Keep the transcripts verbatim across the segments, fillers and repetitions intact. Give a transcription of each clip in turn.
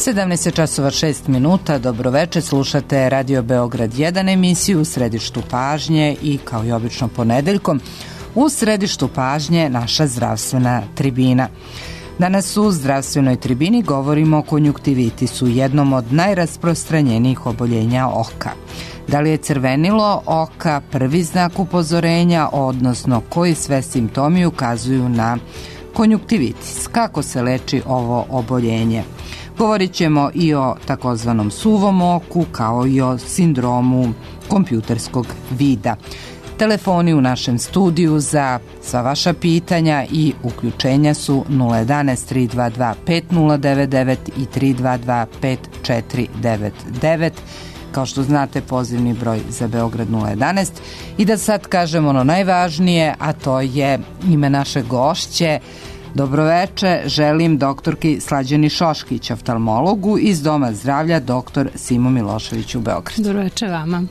sedamnaest časova šest minuta, dobroveče, slušate Radio Beograd jedan, emisiju u središtu pažnje i kao i obično ponedeljkom u središtu pažnje naša zdravstvena tribina. Danas u zdravstvenoj tribini govorimo o konjuktivitisu, jednom od najrasprostranjenijih oboljenja oka. Da li je crvenilo oka prvi znak upozorenja, odnosno koji sve simptomi ukazuju na konjuktivitis? Kako se leči ovo oboljenje? Govorit ćemo i o takozvanom suvom oku, kao i o sindromu kompjuterskog vida. Telefoni u našem studiju za sva vaša pitanja i uključenja su nula jedanaest tri dva dva pet nula devet devet i tri dva dva pet četiri devet devet. Kao što znate, pozivni broj za Beograd nula jedanaest. I da sad kažem ono najvažnije, a to je ime naše gošće. Dobroveče, želim doktorki Slađani Šoškić, oftalmologu iz Doma zdravlja doktor Simo Milošević u Beogradu. Dobroveče vama.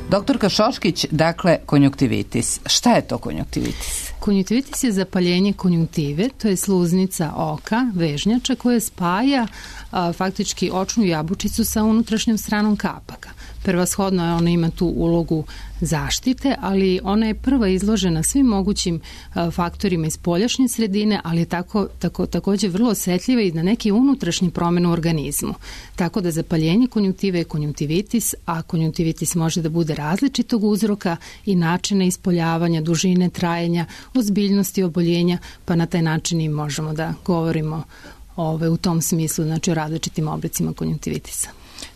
Doktorka Šoškić, dakle, konjuktivitis. Šta je to konjuktivitis? Konjuktivitis je zapaljenje konjunktive, to je sluznica oka, vežnjača, koja spaja a, faktički očnu jabučicu sa unutrašnjom stranom kapaka. Prvashodno je ona ima tu ulogu zaštite, ali ona je prva izložena svim mogućim a, faktorima iz spoljašnje sredine, ali je tako, tako, takođe vrlo osetljiva i na neke unutrašnje promene u organizmu. Tako da zapaljenje konjunktive je konjunktivitis, a konjunktivitis može da bude različitog uzroka i načina ispoljavanja, dužine trajanja, ozbiljnosti oboljenja, pa na taj način i možemo da govorimo ove, u tom smislu, znači o različitim oblicima konjunktivitisa.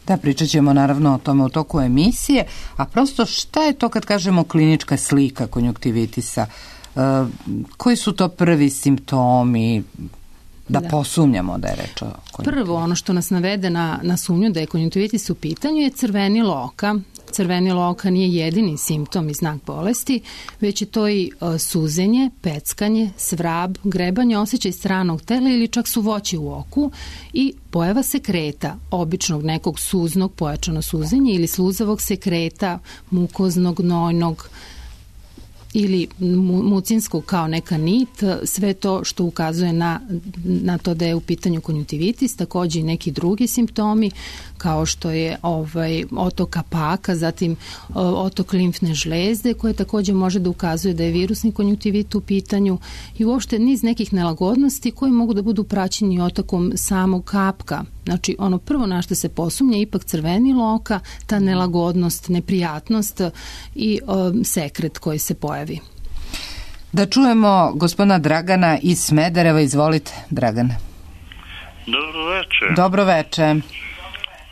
Da, pričat ćemo naravno o tome u toku emisije, a prosto šta je to kad kažemo klinička slika konjunktivitisa? E, koji su to prvi simptomi da, da posumnjamo da je reč o konjunktivitisu? Prvo, ono što nas navede na, na sumnju da je konjunktivitis u pitanju je crvenilo oka. Crvenilo oka nije jedini simptom i znak bolesti, već je to i uh, suzenje, peckanje, svrab, grebanje, osjećaj stranog tela ili čak suvoće u oku i pojava sekreta, običnog nekog suznog, pojačano suzenje ili sluzavog sekreta, mukoznog, gnojnog ili mucinskog kao neka nit, sve to što ukazuje na, na to da je u pitanju konjunktivitis, takođe i neki drugi simptomi kao što je ovaj, otok kapaka, zatim otok limfne žlezde koje takođe može da ukazuje da je virusni konjunktivit u pitanju i uopšte niz nekih nelagodnosti koji mogu da budu praćeni otokom samog kapka. Znači, ono prvo na što se posumnja ipak crvenilo oka, ta nelagodnost, neprijatnost i um, sekret koji se pojavi. Da čujemo gospodina Dragana iz Smedereva. Izvolite, Dragane. Dobro veče. Dobro veče.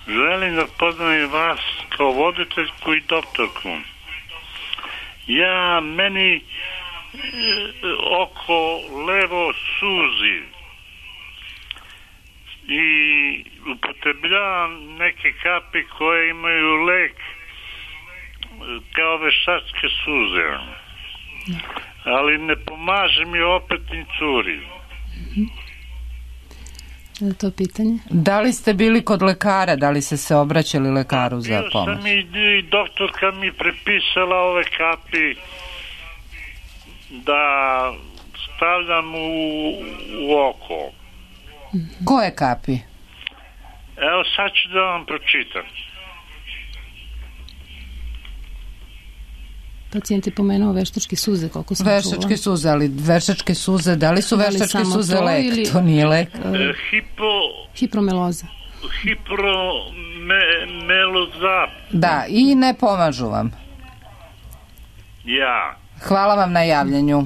Želim da pozdravim vas kao voditeljku i doktorku. Ja, meni e, oko levo suzi i upotrebljavam neke kapi koje imaju lek kao veštačke suze. Ali ne pomaže mi opet ni curi. Je to pitanje? Da li ste bili kod lekara? Da li ste se obraćali lekaru za pomoć? Bio sam i, i doktorka mi prepisala ove kapi da stavljam u, u oko. Koje kapi? Evo sad ću da vam pročitam. Pacijent je pomenuo veštačke suze, koliko sam veštačke čula. Veštačke suze, ali veštačke suze, da li su da li veštačke suze to lek? Ili, to nije lek. Uh, hipo... Hipromeloza. Hipromeloza. Da, i ne pomažu vam. Ja. Hvala vam na javljanju.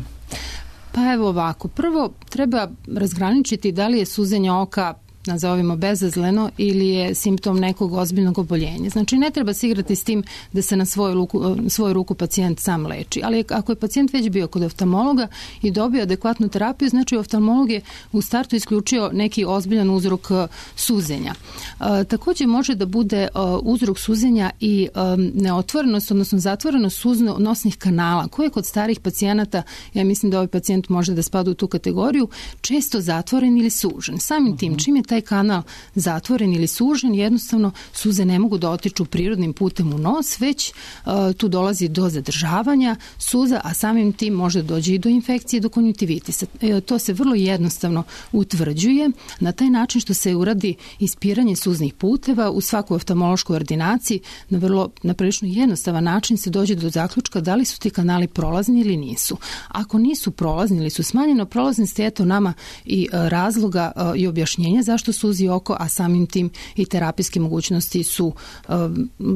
Pa evo ovako, prvo treba razgraničiti da li je suzenje oka, nazovimo bezazleno, ili je simptom nekog ozbiljnog oboljenja. Znači, ne treba se igrati s tim da se na svoju ruku, svoju ruku pacijent sam leči. Ali ako je pacijent već bio kod oftalmologa i dobio adekvatnu terapiju, znači oftalmolog je u startu isključio neki ozbiljan uzrok suzenja. E, takođe može da bude uh, uzrok suzenja i um, neotvorenost, odnosno zatvorenost suzno-nosnih kanala, koje kod starih pacijenata, ja mislim da ovaj pacijent može da spada u tu kategoriju, često zatvoren ili sužen. Samim tim, čim je taj taj kanal zatvoren ili sužen, jednostavno suze ne mogu da otiču prirodnim putem u nos, već uh, tu dolazi do zadržavanja suza, a samim tim može doći i do infekcije, do konjuntivitisa. E, to se vrlo jednostavno utvrđuje na taj način što se uradi ispiranje suznih puteva u svakoj oftalmološkoj ordinaciji. Na vrlo, na prilično jednostavan način se dođe do zaključka da li su ti kanali prolazni ili nisu. Ako nisu prolazni ili su smanjeno prolaznosti, eto nama i e, razloga e, i objašnjenja zašto suzi oko, a samim tim i terapijske mogućnosti su e,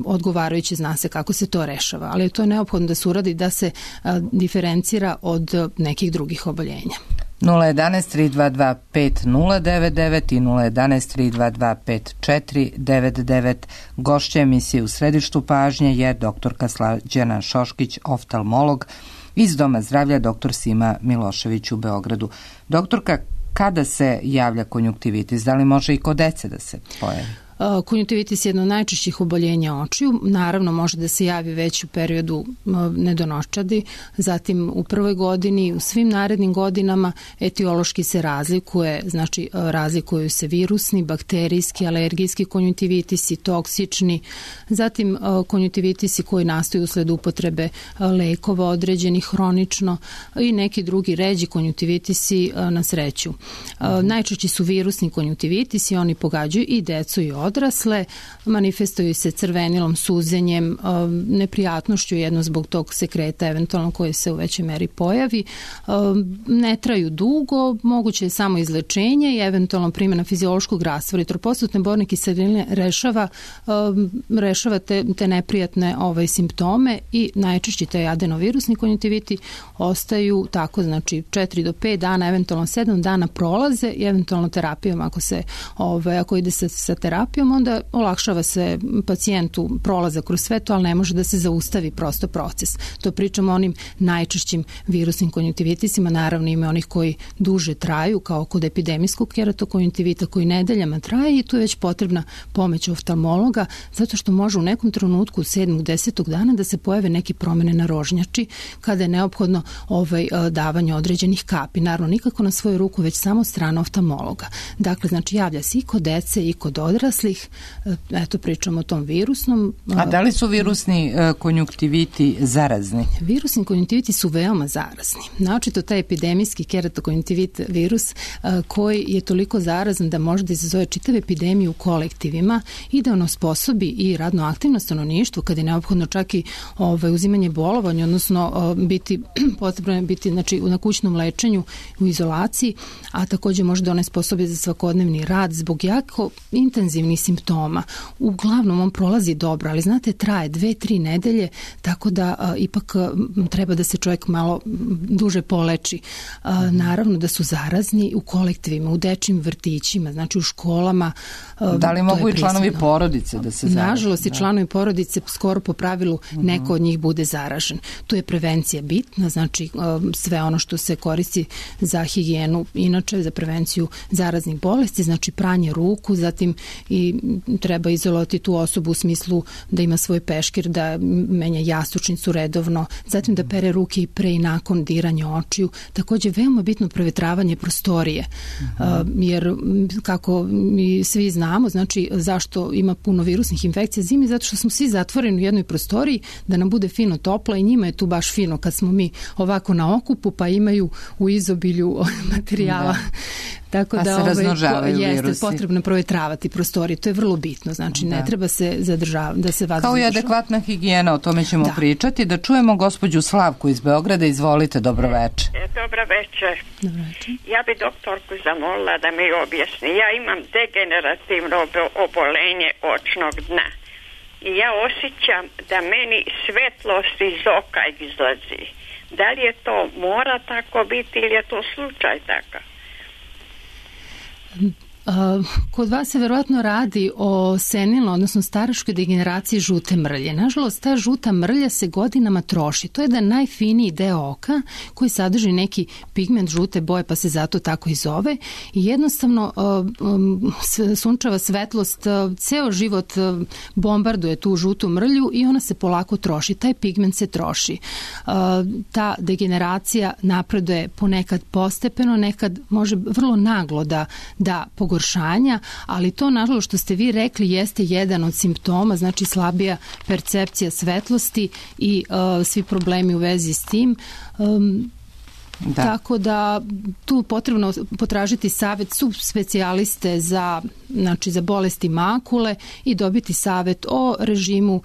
odgovarajuće, zna se kako se to rešava. Ali to je neophodno da se uradi da se e, diferencira od nekih drugih oboljenja. nula jedan tri dva dva pet nula devet devet i nula jedan tri dva dva pet četiri devet devet. Gošća emisije U središtu pažnje je doktorka Slađana Šoškić, oftalmolog iz Doma zdravlja doktor Sima Milošević u Beogradu. Doktorka, kada se javlja konjunktivitis? Da li može i kod dece da se pojavi? Konjuntivitis je jedno od najčešćih oboljenja očiju. Naravno, može da se javi već u periodu nedonoščadi, zatim u prvoj godini, u svim narednim godinama etiološki se razlikuje, znači razlikuju se virusni, bakterijski, alergijski konjuntivitisi, toksični, zatim konjuntivitisi koji nastaju usled upotrebe lekova određenih hronično i neki drugi ređi konjuntivitisi na sreću. Mm-hmm. Najčešći su virusni konjuntivitisi, oni pogađaju i decu i odrasle, manifestuju se crvenilom, suzenjem, neprijatnošću jedno zbog tog sekreta eventualno koje se u većoj meri pojavi. Ne traju dugo, moguće je samo izlečenje i eventualno primjena fiziološkog rastvora i troposuotne borne kiseline rešava, rešava te, te neprijatne ovaj, simptome i najčešći taj adenovirusni konjuntiviti ostaju tako, znači četiri do pet dana, eventualno sedam dana prolaze i eventualno terapijom ako se ovaj, ako ide se sa terapijom, onda olakšava se pacijentu prolazak kroz sve to, ali ne može da se zaustavi prosto proces. To pričamo o onim najčešćim virusnim konjuntivitisima, naravno ima onih koji duže traju, kao kod epidemijskog keratokonjuntivita koji nedeljama traje i tu je već potrebna pomoć oftalmologa, zato što može u nekom trenutku sedmog, desetog dana da se pojave neke promene na rožnjači, kada je neophodno ovaj, davanje određenih kapi. Naravno, nikako na svoju ruku, već samo strana oftalmologa. Dakle, znači javlja se i kod dece i kod odraslih, eto pričamo o tom virusnom. A da li su virusni konjunktiviti zarazni? Virusni konjunktiviti su veoma zarazni. Naočito taj epidemijski keratokonjunktivit virus koji je toliko zarazan da može da izazove čitave epidemije u kolektivima i da on osposobi i radno aktivno stanovništvo kada je neophodno čak i ovaj, uzimanje bolovanja, odnosno biti potrebno je biti znači, na kućnom lečenju u izolaciji, a takođe može da one sposobi za svakodnevni rad zbog jako intenzivnih simptoma. Uglavnom on prolazi dobro, ali znate, traje dve, tri nedelje, tako da a, ipak a, treba da se čovjek malo duže poleči. A, naravno da su zarazni u kolektivima, u dečjim vrtićima, znači u školama. A, da li mogu i članovi porodice da se zaraže? Nažalost, i članovi porodice skoro po pravilu uh-huh. neko od njih bude zaražen. Tu je prevencija bitna, znači a, sve ono što se koristi za higijenu, inače za prevenciju zaraznih bolesti, znači pranje ruku, zatim i treba izolovati tu osobu u smislu da ima svoj peškir, da menja jastučnicu redovno, zatim da pere ruke i pre i nakon diranja očiju. Također veoma bitno provetravanje prostorije, uh-huh. jer kako mi svi znamo, znači zašto ima puno virusnih infekcija zimi, zato što smo svi zatvoreni u jednoj prostoriji da nam bude fino topla i njima je tu baš fino kad smo mi ovako na okupu pa imaju u izobilju materijala. Da. Tako pa da se ovaj, razmnožavaju jeste virusi. Potrebno provetravati prostorije, to je vrlo bitno, znači da. Ne treba se zadržavati, da se vazduh kao i adekvatna higijena, o tome ćemo da. pričati. Da čujemo gospođu Slavku iz Beograda, izvolite, dobroveče. Dobro večer. Dobroveče. Ja bi doktorku zamolila da mi objasni. Ja imam degenerativno obolenje očnog dna i ja osjećam da meni svetlost iz oka izlazi. Da li je to mora tako biti ili je to slučaj takav? Uh, kod vas se verovatno radi o senilnoj, odnosno staračkoj degeneraciji žute mrlje. Nažalost, ta žuta mrlja se godinama troši. To je da najfiniji deo oka koji sadrži neki pigment žute boje, pa se zato tako i zove. I jednostavno uh, um, sunčeva svetlost uh, ceo život uh, bombarduje tu žutu mrlju i ona se polako troši. Taj pigment se troši. Uh, ta degeneracija napreduje ponekad postepeno, nekad može vrlo naglo da, da pogotovo pogoršanja, ali to nažalost što ste vi rekli jeste jedan od simptoma, znači slabija percepcija svetlosti i uh, svi problemi u vezi s tim. Um, Da. Tako da tu potrebno potražiti savjet subspecijaliste za, znači, za bolesti makule i dobiti savjet o režimu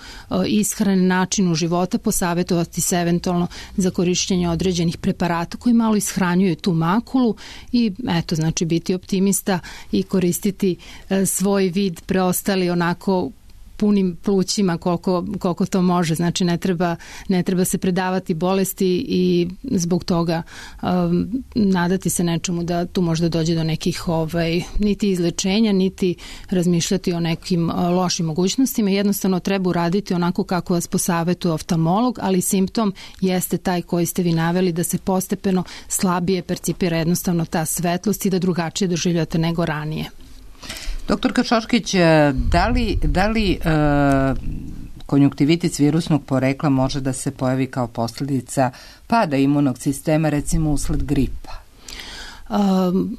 ishrane, načinu života, posavjetovati se eventualno za korišćenje određenih preparata koji malo ishranjuju tu makulu i eto, znači biti optimista i koristiti svoj vid preostali onako punim plućima koliko, koliko to može, znači ne treba, ne treba se predavati bolesti i zbog toga um, nadati se nečemu da tu možda dođe do nekih ovaj, niti izlečenja, niti razmišljati o nekim uh, lošim mogućnostima, jednostavno treba uraditi onako kako vas posavetuje oftalmolog, ali simptom jeste taj koji ste vi naveli, da se postepeno slabije percipira jednostavno ta svetlost i da drugačije doživljate nego ranije. Doktorka Šoškić, da li, da li e, konjunktivitis virusnog porekla može da se pojavi kao posljedica pada imunog sistema, recimo usled gripa? Um,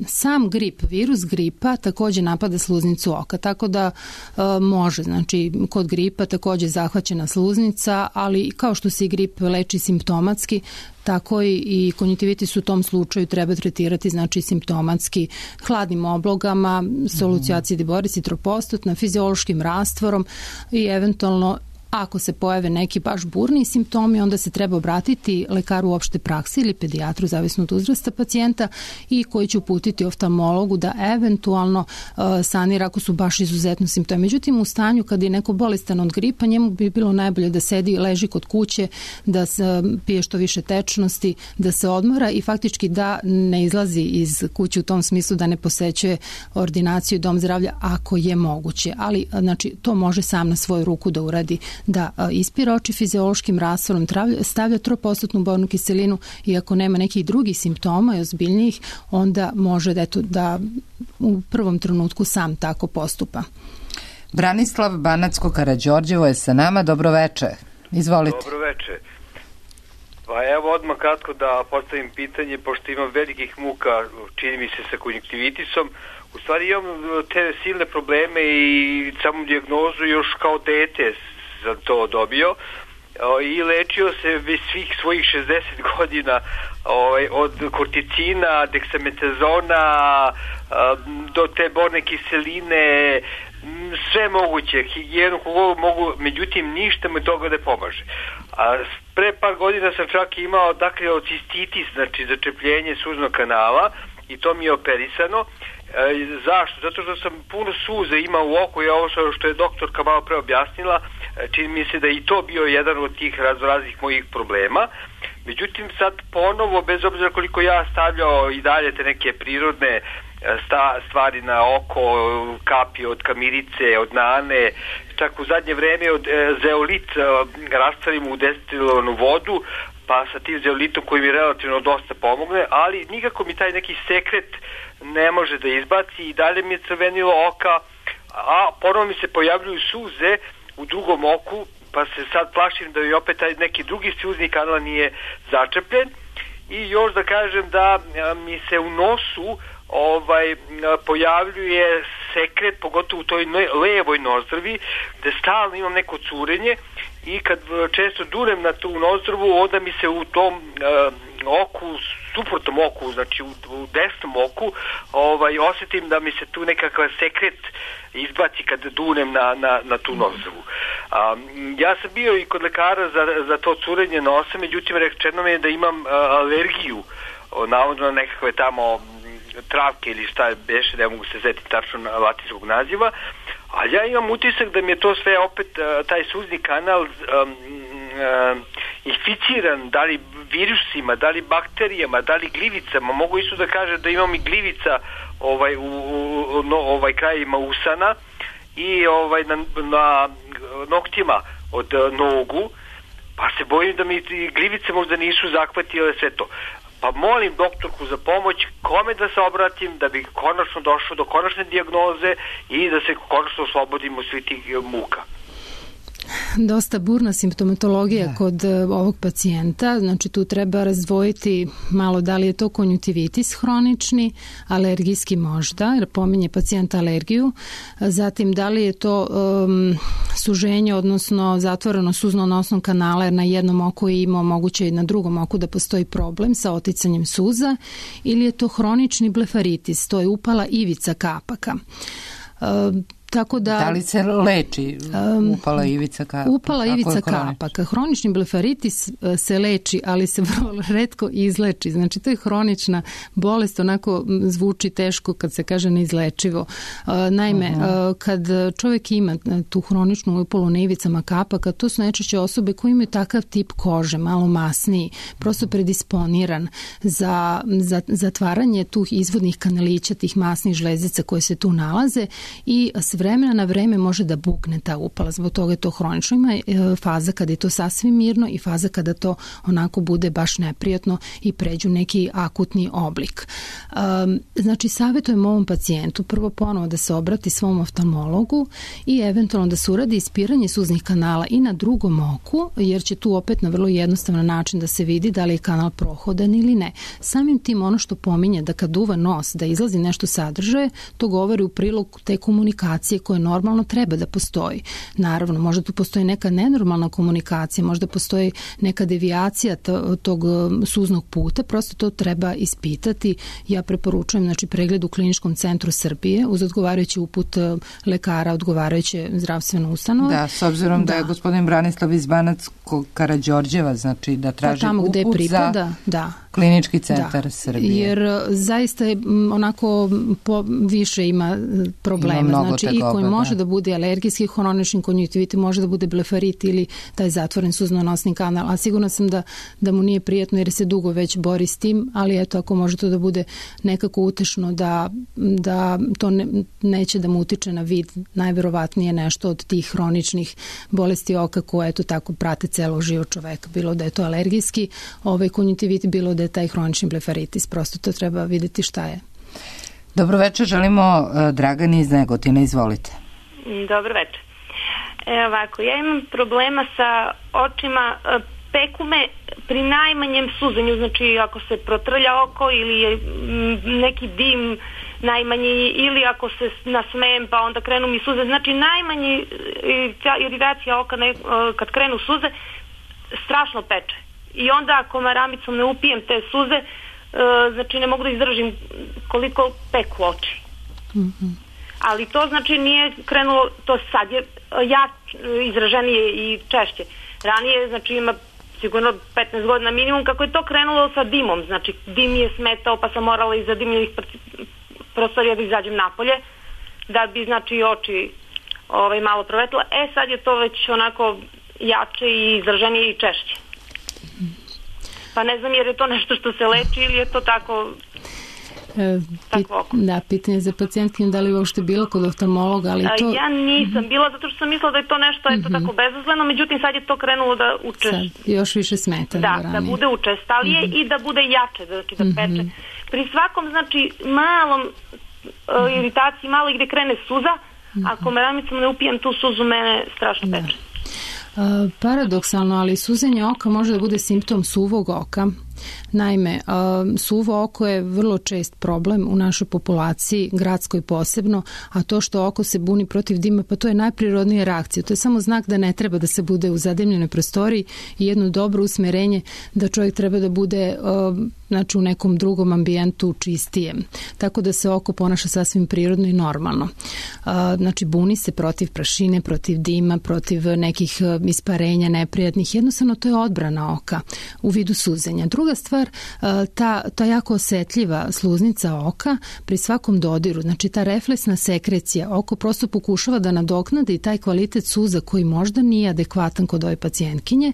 sam grip, virus gripa takođe napada sluznicu oka, tako da e, može, znači kod gripa takođe zahvaćena sluznica, ali kao što se i grip leči simptomatski, tako i konjunktivitis u tom slučaju treba tretirati, znači simptomatski hladnim oblogama, soluciju acid boris i tropostotna, fiziološkim rastvorom i eventualno ako se pojave neki baš burni simptomi, onda se treba obratiti lekaru opšte prakse ili pedijatru, zavisno od uzrasta pacijenta, i koji će uputiti oftalmologu da eventualno uh, sanira ako su baš izuzetno simptomi. Međutim, u stanju kad je neko bolestan od gripa, njemu bi bilo najbolje da sedi, leži kod kuće, da se pije što više tečnosti, da se odmora i faktički da ne izlazi iz kuće u tom smislu, da ne posećuje ordinaciju i dom zdravlja ako je moguće. Ali, znači, to može sam na svoju ruku da uradi, da ispira oči fiziološkim rastvorom, stavlja tropostotnu bornu kiselinu i ako nema nekih drugih simptoma i ozbiljnijih, onda može da, eto, da u prvom trenutku sam tako postupa. Branislav Banatsko-Karađorđevo je sa nama. Dobroveče. Izvolite. Dobroveče. Pa evo odmah kratko da postavim pitanje, pošto imam velikih muka, čini mi se, sa konjunktivitisom. U stvari imam te silne probleme i samu dijagnozu još kao dete sam to dobio i lečio se već svih svojih šezdeset godina ovaj, od korticina, deksametazona do te borne kiseline, sve moguće, higijenu kogo mogu, međutim ništa me toga ne pomaže. A pre par godina sam čak imao dakle cistitis, znači začepljenje suznog kanala, i to mi je operisano. E, zašto? Zato što sam puno suze imao u oku i ovo što je doktorka malo pre objasnila, čini mi se da i to bio jedan od tih raznoraznih mojih problema. Međutim, sad ponovo, bez obzira koliko ja stavljao i dalje te neke prirodne sta, stvari na oko, kapi od kamirice, od nane, čak u zadnje vreme od e, zeolit e, rastvarim u destilovanu vodu, pa sa tim zeolitom koji mi relativno dosta pomogne, ali nikako mi taj neki sekret ne može da izbaci i dalje mi je crvenilo oka, a ponovno mi se pojavljuju suze u drugom oku, pa se sad plašim da i opet taj neki drugi suzni kanal nije začepljen. I još da kažem da mi se u nosu ovaj pojavljuje sekret, pogotovo u toj levoj nozdrvi, gde stalno imam neko curenje i kad često durem na tu nozdrvu, onda mi se u tom uh, oku, suprotnom oku, znači u, u desnom oku, ovaj, osjetim da mi se tu nekakav sekret izbaci kad dunem na, na, na tu nozdrvu. Um, ja sam bio i kod lekara za, za to curenje nosa, međutim rečeno mi je da imam uh, alergiju, navodno na nekakve tamo travke ili šta beše, da ja mogu se zeti tačno na latinskog naziva, ali ja imam utisak da mi je to sve opet uh, taj suzni kanal um, uh, inficiran, da li virusima, da li bakterijama, da li glivicama. Mogu isto da kaže da imam i glivica ovaj, u, u no, ovaj krajima usana i ovaj, na, na noktima od uh, nogu, pa se bojim da mi glivice možda nisu zahvatile sve to. Pa molim doktorku za pomoć, kome da se obratim da bi konačno došlo do konačne dijagnoze i da se konačno oslobodimo svi tih muka. dosta burna simptomatologija da. kod ovog pacijenta, znači tu treba razdvojiti malo da li je to konjuktivitis hronični, alergijski možda, jer pominje pacijent alergiju, zatim da li je to um, suženje, odnosno zatvoreno suzno nosnog kanala, jer na jednom oku je imao moguće i na drugom oku da postoji problem sa oticanjem suza, ili je to hronični blefaritis, to je upala ivica kapaka. Um, Tako da, da li se leči upala ivica kapaka? Upala ivica kapaka. Hronični blefaritis se leči, ali se vrlo retko izleči. Znači, to je hronična bolest, onako zvuči teško kad se kaže neizlečivo. Naime, uh-huh. kad čovjek ima tu hroničnu upalu na ivicama kapaka, to su najčešće osobe koje imaju takav tip kože, malo masniji, prosto predisponiran za, za zatvaranje tih izvodnih kanalića, tih masnih žlezica koje se tu nalaze i s vremena na vreme može da bukne ta upala, zbog toga je to hronično. Ima faza kada je to sasvim mirno i faza kada to onako bude baš neprijatno i pređu neki akutni oblik. Znači, savjetujem ovom pacijentu prvo ponovo da se obrati svom oftalmologu i eventualno da se uradi ispiranje suznih kanala i na drugom oku, jer će tu opet na vrlo jednostavan način da se vidi da li je kanal prohodan ili ne. Samim tim ono što pominje da kad duva nos, da izlazi nešto sadržaje, to govori u prilog te komunikacije koje normalno treba da postoji. Naravno, možda tu postoji neka nenormalna komunikacija, možda postoji neka devijacija tog suznog puta, prosto to treba ispitati. Ja preporučujem, znači, pregled u Kliničkom centru Srbije uz odgovarajući uput lekara, odgovarajuće zdravstveno ustanove. Da, s obzirom da, da je gospodin Branislav iz Banatskog Karađorđeva, znači da traži tamo uput gde pripada, za da. Klinički centar da. Srbije. Jer zaista je onako po, više ima problema. Ima znači i koji da. može da bude alergijski hronični konjuktivit, može da bude blefarit ili taj zatvoren suzno-nosni kanal, a sigurno sam da, da mu nije prijatno jer se dugo već bori s tim, ali eto, ako može to da bude nekako utešno da, da to ne, neće da mu utiče na vid, najverovatnije nešto od tih hroničnih bolesti oka koje eto tako prate celo život čoveka, bilo da je to alergijski ovaj konjuktivit, bilo da je taj hronični blefaritis, prosto to treba videti šta je. Dobro večer, želimo Dragani iz Negotina, izvolite. Dobro večer. E, ovako, ja imam problema sa očima, peku me pri najmanjem suzenju, znači ako se protrlja oko ili je neki dim najmanji, ili ako se nasmejem pa onda krenu mi suze, znači najmanji iritacija oka ne, kad krenu suze strašno peče. I onda ako maramicom ne upijem te suze, znači ne mogu da izdržim koliko peku oči. Mm-hmm. Ali to znači nije krenulo, to sad je ja izraženije i češće. Ranije, znači ima sigurno petnaest godina minimum kako je to krenulo sa dimom, znači dim je smetao pa sam morala iza dimljenih prostorija da izađem napolje da bi znači oči ovaj, malo provetila. E sad je to već onako jače i izraženije i češće. Pa ne znam jer je to nešto što se leči ili je to tako... E, pit, da, pitanje za pacijentkinju da li uopšte bilo kod oftalmologa, ali to... Ja nisam bila zato što sam mislila da je to nešto eto, mm-hmm. tako bezazleno, međutim sad je to krenulo da učest... Sad, još više smeta. Da, da bude učestalije mm-hmm. i da bude jače, znači da peče. Mm-hmm. Pri svakom, znači, malom uh, iritaciji, malo gde krene suza, mm-hmm. ako meramicom ne upijem tu suzu, mene strašno da. peče. Uh, paradoksalno, ali suzenje oka može da bude simptom suvog oka. Naime, suvo oko je vrlo čest problem u našoj populaciji, gradskoj posebno, a to što oko se buni protiv dima, pa to je najprirodnija reakcija. To je samo znak da ne treba da se bude u zadimljenoj prostoriji i jedno dobro usmerenje da čovjek treba da bude znači u nekom drugom ambijentu čistijem. Tako da se oko ponaša sasvim prirodno i normalno. Znači buni se protiv prašine, protiv dima, protiv nekih isparenja neprijatnih. Jednostavno to je odbrana oka u vidu suzenja. Druga stvar, ta, ta jako osetljiva sluznica oka pri svakom dodiru, znači ta refleksna sekrecija, oko prosto pokušava da nadoknadi taj kvalitet suza koji možda nije adekvatan kod ove pacijentkinje,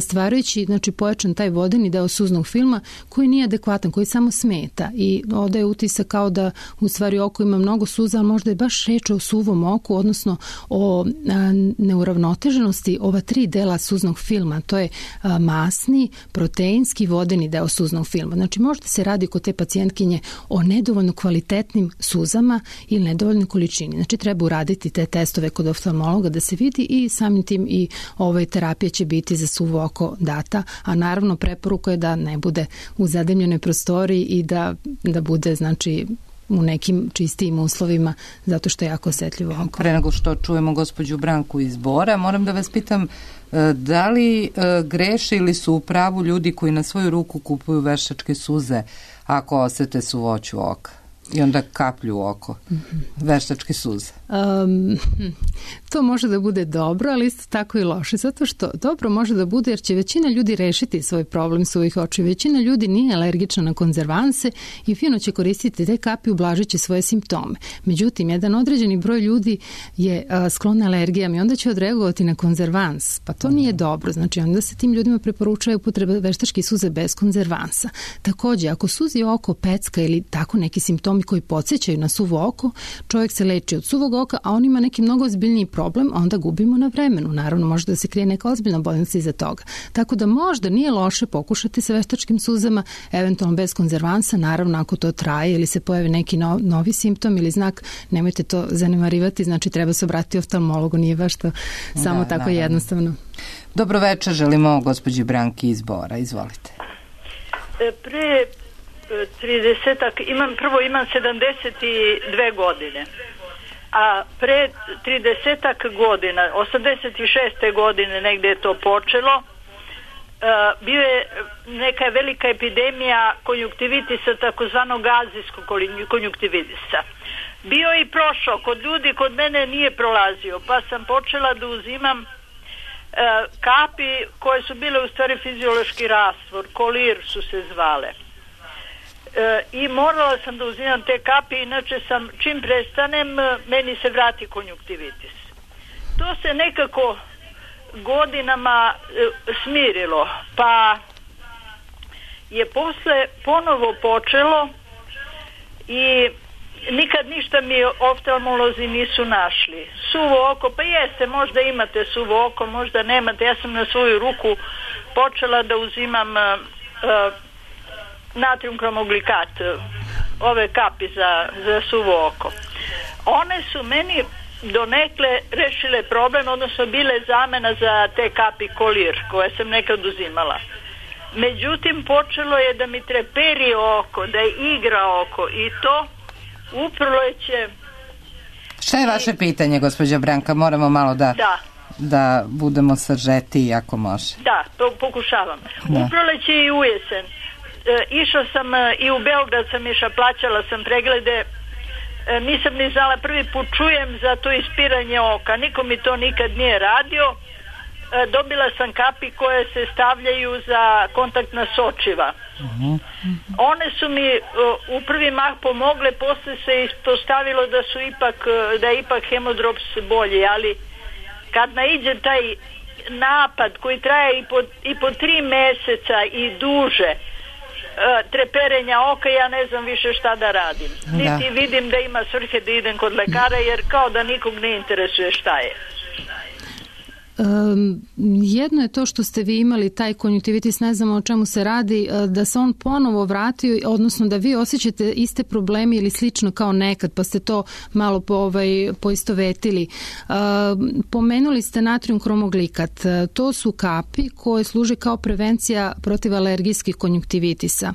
stvarajući znači pojačan taj vodeni deo suznog filma koji koji nije adekvatan, koji samo smeta i odaje utisak kao da u stvari oko ima mnogo suza, ali možda je baš reč o suvom oku, odnosno o a, neuravnoteženosti ova tri dela suznog filma. To je a, masni, proteinski, vodeni deo suznog filma. Znači možda se radi kod te pacijentkinje o nedovoljno kvalitetnim suzama ili nedovoljnoj količini. Znači treba uraditi te testove kod oftalmologa da se vidi i samim tim i ovaj terapija će biti za suvo oko data, a naravno preporuka je da ne bude u zadimljenoj prostoriji i da, da bude znači u nekim čistijim uslovima zato što je jako osetljivo oko. Pre nego što čujemo gospođu Branku iz Bora, moram da vas pitam da li greše ili su u pravu ljudi koji na svoju ruku kupuju veštačke suze ako osete suvoću oka i onda kaplju u oko veštačke suze? Um, to može da bude dobro, ali isto tako i loše, zato što dobro može da bude jer će većina ljudi rešiti svoj problem svojih očiju. Većina ljudi nije alergična na konzervanse i fino će koristiti te kapi, ublažit će svoje simptome. Međutim, jedan određeni broj ljudi je a, sklon alergijama i onda će odreagovati na konzervans, pa to nije dobro. Znači, onda se tim ljudima preporučuje upotreba veštačkih suze bez konzervansa. Takođe, ako suzi oko, pecka ili tako neki simptomi koji podsjećaju na suvo oko, čovjek se leči od suvog oka, a on ima neki mnogo ozbiljniji problem, onda gubimo na vremenu. Naravno, može da se krije neka ozbiljna bolest iza toga. Tako da možda nije loše pokušati sa veštačkim suzama, eventualno bez konzervansa, naravno ako to traje ili se pojavi neki no, novi simptom ili znak, nemojte to zanemarivati, znači treba se obratiti oftalmologu, nije baš to samo da, tako naravno. Jednostavno. Dobro večer, želimo gospođi Branki iz Bora, izvolite. Pre tridesetak, imam, prvo imam sedamdeset dve godine, a pre tridesetak godina, osamdeset šeste godine negde je to počelo, bio je neka velika epidemija konjuktivitisa, takozvanog azijskog konjuktivitisa. Bio i prošao, kod ljudi, kod mene nije prolazio, pa sam počela da uzimam kapi koje su bile u stvari fiziološki rastvor, kolir su se zvale. I morala sam da uzimam te kapi, inače sam, čim prestanem, meni se vrati konjuktivitis. To se nekako godinama smirilo, pa je posle ponovo počelo i nikad ništa mi oftalmolozi nisu našli. Suvo oko, pa jeste, možda imate suvo oko, možda nemate. Ja sam na svoju ruku počela da uzimam uh, natrium kromoglikat, ove kapi za, za suvo oko. One su meni donekle rešile problem, odnosno bile zamena za te kapi kolir koje sam nekad uzimala. Međutim, počelo je da mi treperi oko, da igra oko i to uproleće. Šta je vaše pitanje, gospođa Branka? Moramo malo da, da. da budemo sažeti ako može. Da, to pokušavam. Da. Uproleće i ujesen. E, išla sam e, i u Beograd sam išla, plaćala sam preglede, e, nisam ni znala, prvi put čujem za to ispiranje oka, niko mi to nikad nije radio. E, dobila sam kapi koje se stavljaju za kontaktna sočiva. Uh-huh. One su mi e, u prvi mah pomogle, posle se ispostavilo da su ipak, da je ipak hemodrops bolji, ali kad naiđe taj napad koji traje i po, i po tri meseca i duže, treperenja oka, ja ne znam više šta da radim. Da. Niti vidim da ima svrhe da idem kod lekara, jer kao da nikog ne interesuje šta je. Um, jedno je to što ste vi imali taj konjuktivitis, ne znamo o čemu se radi, da se on ponovo vratio, odnosno da vi osjećate iste problemi ili slično kao nekad, pa ste to malo po, ovaj, poistovetili. Um, pomenuli ste natrium kromoglikat. To su kapi koje služe kao prevencija protiv alergijskih konjuktivitisa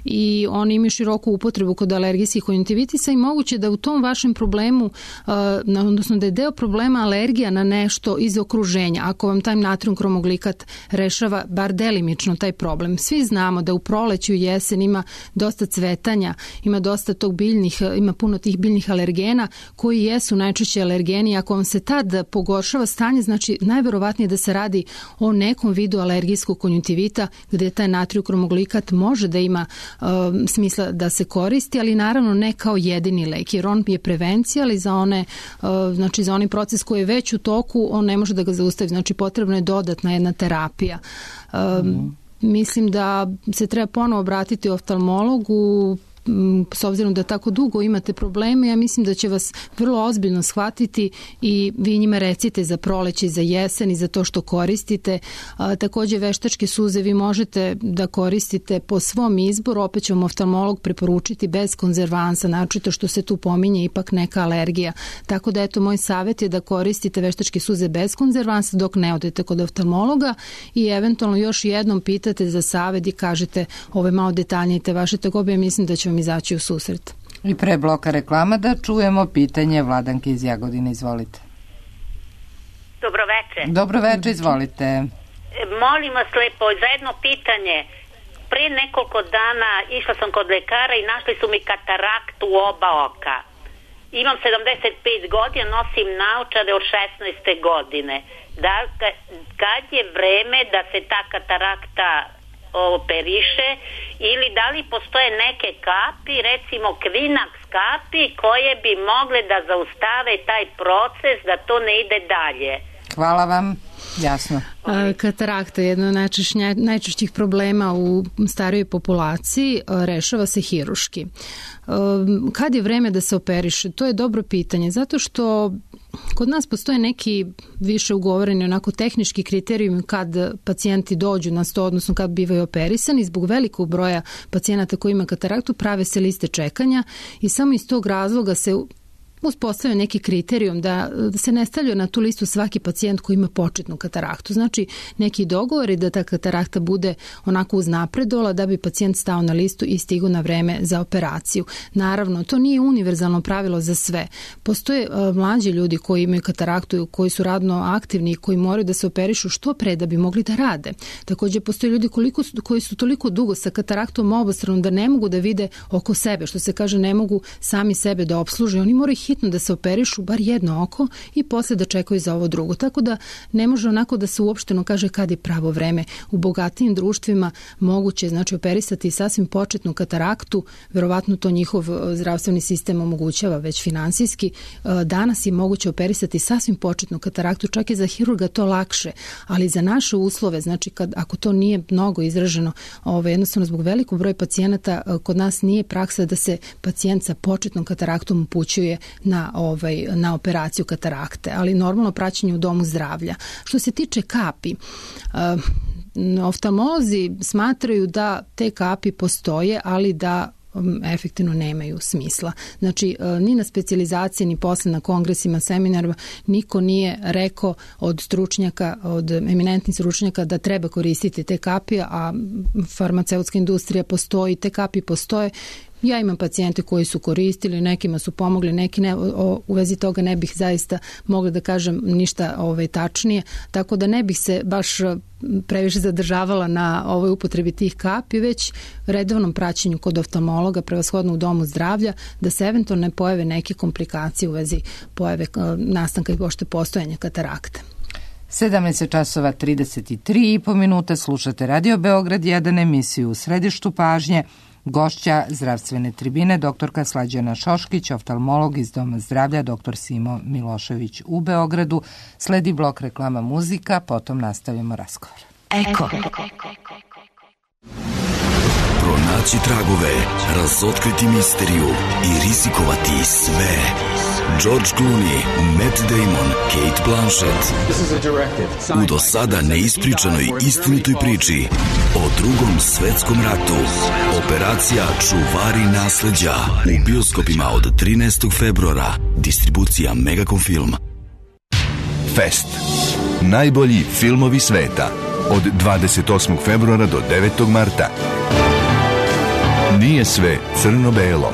i oni imaju široku upotrebu kod alergijskih konjuktivitisa i moguće da u tom vašem problemu, uh, odnosno da je deo problema alergija na nešto iz okruženja. Ako vam taj natrium kromoglikat rešava bar delimično taj problem. Svi znamo da u proleću i jesen ima dosta cvetanja, ima dosta tog biljnih, ima puno tih biljnih alergena koji jesu najčešće alergeni. Ako vam se tad pogoršava stanje, znači najverovatnije da se radi o nekom vidu alergijskog konjuktivita gde taj natrium kromoglikat može da ima um, smisla da se koristi, ali naravno ne kao jedini lek, jer on je prevencija, ali za one, uh, znači za onaj proces koji je već u toku, on ne može da ga zaustavi. Znači potrebna je dodatna jedna terapija. Um, mislim da se treba ponovo obratiti oftalmologu, s obzirom da tako dugo imate probleme, ja mislim da će vas vrlo ozbiljno shvatiti i vi njima recite za proleće i za jesen i za to što koristite. A, takođe veštačke suze vi možete da koristite po svom izboru, opet će vam oftalmolog preporučiti bez konzervansa, naročito što se tu pominje ipak neka alergija. Tako da eto, moj savjet je da koristite veštačke suze bez konzervansa dok ne odete kod oftalmologa i eventualno još jednom pitate za savjet i kažete ovo je malo detaljnije te vaše tegobe, mislim da će vam izaći u susret. I pre bloka reklama da čujemo pitanje Vladanke iz Jagodine. Izvolite. Dobro veče. Dobro veče, izvolite. Molim vas lepo, za jedno pitanje. Pre nekoliko dana išla sam kod lekara i našli su mi katarakt u oba oka. Imam sedamdeset pet godina, nosim naočare od šesnaeste godine. Da, kad je vreme da se ta katarakta operiše ili da li postoje neke kapi, recimo Kvinax kapi, koje bi mogle da zaustave taj proces da to ne ide dalje? Hvala vam. Jasno. Katarakta je jedno od najčešćih problema u starijoj populaciji, rešava se hiruški. Kad je vreme da se operiše? To je dobro pitanje, zato što kod nas postoje neki više ugovoreni onako tehnički kriterijumi kad pacijenti dođu na sto, odnosno kad bivaju operisani. Zbog velikog broja pacijenata koji ima kataraktu prave se liste čekanja i samo iz tog razloga se uspostavio neki kriterijum da, da se ne stavlja na tu listu svaki pacijent koji ima početnu kataraktu. Znači neki dogovori da ta katarakta bude onako uznapredovala da bi pacijent stao na listu i stigao na vreme za operaciju. Naravno, to nije univerzalno pravilo za sve. Postoje uh, mlađi ljudi koji imaju kataraktu, koji su radno aktivni i koji moraju da se operišu što pre da bi mogli da rade. Takođe, postoje ljudi koliko, koji su toliko dugo sa kataraktom obostranom da ne mogu da vide oko sebe, što se kaže ne mogu sami sebe da opsluže. Oni moraju hitno da se operišu bar jedno oko i posle da čekaju za ovo drugo. Tako da ne može onako da se uopšteno kaže kad je pravo vreme. U bogatijim društvima moguće znači operisati sasvim početnu kataraktu, verovatno to njihov zdravstveni sistem omogućava već finansijski. Danas je moguće operisati sasvim početnu kataraktu, čak i za hirurga to lakše, ali za naše uslove, znači kad, ako to nije mnogo izraženo, ovaj, jednostavno zbog velikog broja pacijenata kod nas nije praksa da se pacijent sa početnom kataraktom upućuje na, ovaj, na operaciju katarakte, ali normalno praćenje u domu zdravlja. Što se tiče kapi, uh, oftalmolozi smatraju da te kapi postoje, ali da efektivno nemaju smisla. Znači, ni na specijalizaciji, ni posle na kongresima, seminarima, niko nije rekao od stručnjaka, od eminentnih stručnjaka da treba koristiti te kapi, a farmaceutska industrija postoji, te kapi postoje. Ja imam pacijente koji su koristili, nekima su pomogli, neki ne, o, u vezi toga ne bih zaista mogla da kažem ništa ovaj, tačnije, tako da ne bih se baš previše zadržavala na ovoj upotrebi tih kapi, već redovnom praćenju kod oftalmologa, prevashodno u domu zdravlja, da se eventualno ne pojave neke komplikacije u vezi pojave nastanka i pošte postojanja katarakte. sedamnaest časova trideset tri i po minuta slušate Radio Beograd jedan, emisiju U središtu pažnje. Gošća zdravstvene tribine, doktorka Slađana Šoškić, oftalmolog iz Doma zdravlja, doktor Simo Milošević u Beogradu. Sledi blok reklama muzika, potom nastavljamo razgovor. Eko. Pronaći tragove, razotkriti misteriju i rizikovati sve. George Clooney, Matt Damon, Kate Blanchett. U do sada neispričanoj istinitoj priči o Drugom svetskom ratu. Operacija Čuvari nasleđa u bioskopima od trinaestog februara. Distribucija Megacom Film. Fest. Najbolji filmovi sveta. Od dvadeset osmog februara do devetog marta. Nije sve crno-belo.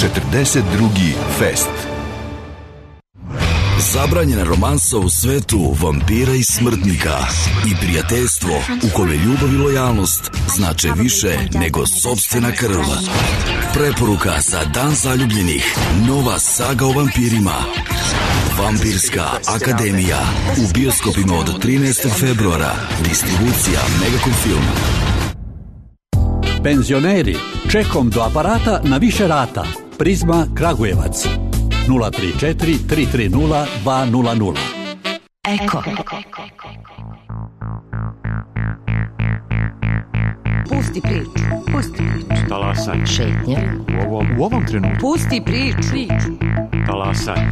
četrdeset drugi Fest. Zabranjena romansa u svetu vampira i smrtnika i prijateljstvo u kome ljubav i lojalnost znače više nego sopstvena krv. Preporuka za Dan zaljubljenih. Nova saga o vampirima. Vampirska akademija u bioskopima od trinaestog februara. Distribucija Megacom Film. Penzioneri, čekom do aparata na više rata. Prizma Kragujevac. nula tri četiri tri tri nula dva nula nula. Eko. šetnje. U ovom, u ovom trenutku. Pusti priču. Talasanje.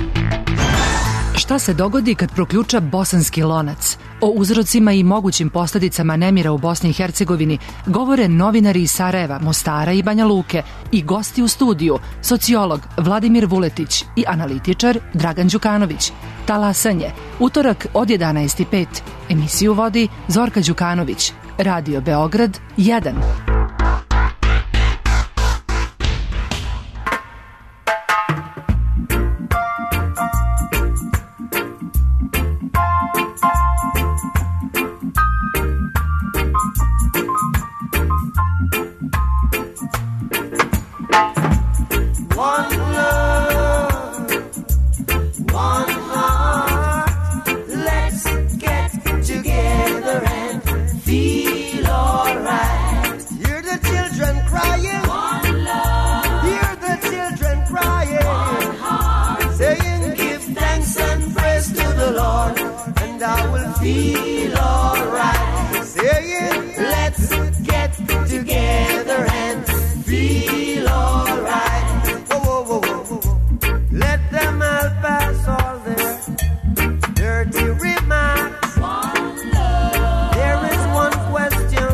Šta se dogodi kad proključa bosanski lonac? O uzrocima i mogućim posledicama nemira u Bosni i Hercegovini govore novinari iz Sarajeva, Mostara i Banja Luke i gosti u studiju, sociolog Vladimir Vuletić i analitičar Dragan Đukanović. Talasanje, utorak od jedanaest i pet. Emisiju vodi Zorka Đukanović. Radio Beograd jedan. Feel alright, saying let's get together and feel alright. Whoa, whoa, whoa, whoa, whoa. Let them all pass all their dirty remarks. One love. There is one question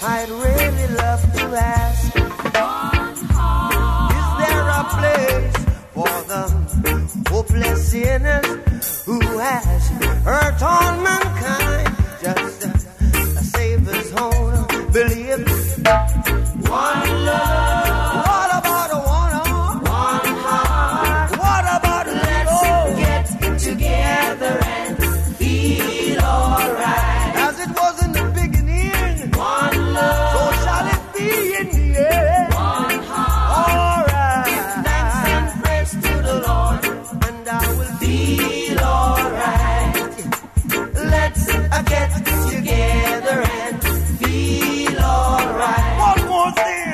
I'd really love to ask. One heart. Is there a place for the hopeless sinners who has hurt all mankind? Just a, a Savior's own belief. One love. What about a one heart? One heart. What about a let's get together and feel alright? As it was in the beginning. One love. So shall it be in the end. One heart. Alright. Give thanks and praise to the Lord, and I will feel alright. Let's uh, get together and feel alright. One more thing.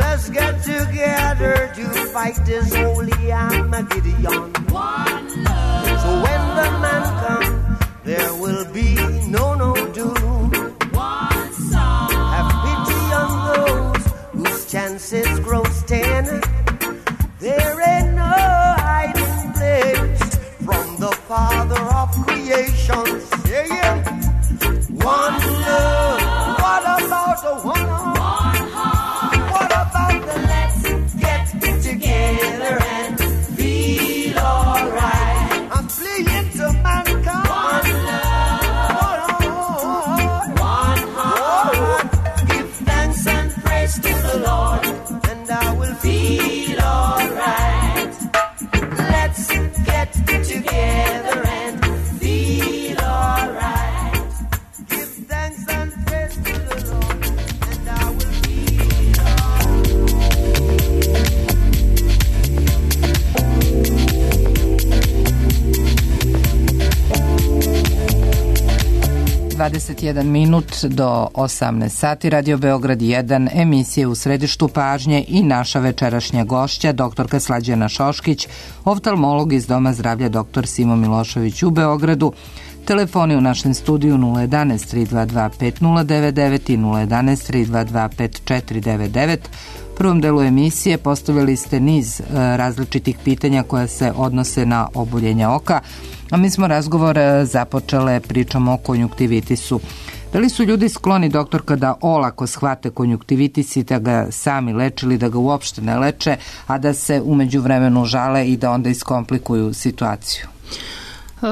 Let's get together to fight this holy Armageddon. One love. So when the man comes, there will be no, no doom. One song. Have pity on those whose chances grow ten. There ain't no hiding place from the Father of creation, saying, one love. What about the one heart? One heart. What about the let's get together and feel alright? I'm pleading to mankind. One love. One heart. Give thanks and praise to the Lord, and I will feel alright. Let's get together and feel alright. Give thanks and praise to the Lord, and I will feel dvadeset jedan minut do osamnaest sati, Radio Beograd jedan, emisije u središtu pažnje i naša večerašnja gošća, doktorka Slađana Šoškić, oftalmolog iz Doma zdravlja doktor Simo Milošević u Beogradu. Telefoni u našem studiju nula jedanaest tri dva dva pet nula devet devet i nula jedanaest tri dva dva pet četiri devet devet. U prvom delu emisije postavili ste niz e, različitih pitanja koja se odnose na oboljenja oka, a mi smo razgovor e, započele pričom o konjuktivitisu. Da li su ljudi skloni, doktorka, da olako shvate konjuktivitis i da ga sami leče ili da ga uopšte ne leče, a da se umeđu vremenu žale i da onda iskomplikuju situaciju?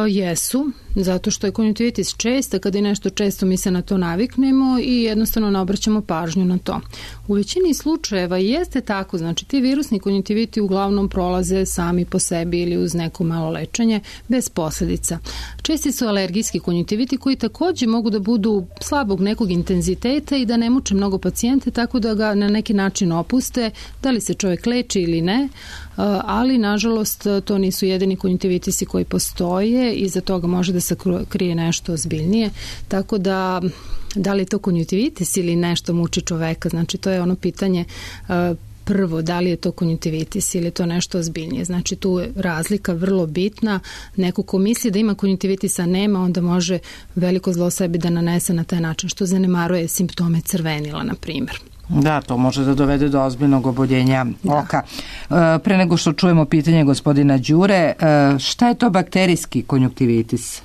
Jesu, zato što je konjuktivitis česta, kada je nešto često mi se na to naviknemo i jednostavno ne obraćamo pažnju na to. U većini slučajeva jeste tako, znači ti virusni konjuktiviti uglavnom prolaze sami po sebi ili uz neko malo lečenje bez posledica. Česti su alergijski konjuktiviti koji takođe mogu da budu slabog nekog intenziteta i da ne muče mnogo pacijente, tako da ga na neki način opuste, da li se čovjek leči ili ne, ali nažalost to nisu jedini konjuktivitisi koji postoje, iza toga može da se krije nešto ozbiljnije, tako da da li je to konjuktivitis ili nešto muči čoveka, znači to je ono pitanje prvo da li je to konjuntivitis ili je to nešto ozbiljnije. Znači tu je razlika vrlo bitna. Neko ko misli da ima konjuntivitisa nema, onda može veliko zlo sebi da nanese na taj način, što zanemaruje simptome crvenila, na primjer. Da, to može da dovede do ozbiljnog oboljenja oka. Da. Pre nego što čujemo pitanje gospodina Đure, šta je to bakterijski konjuktivitis?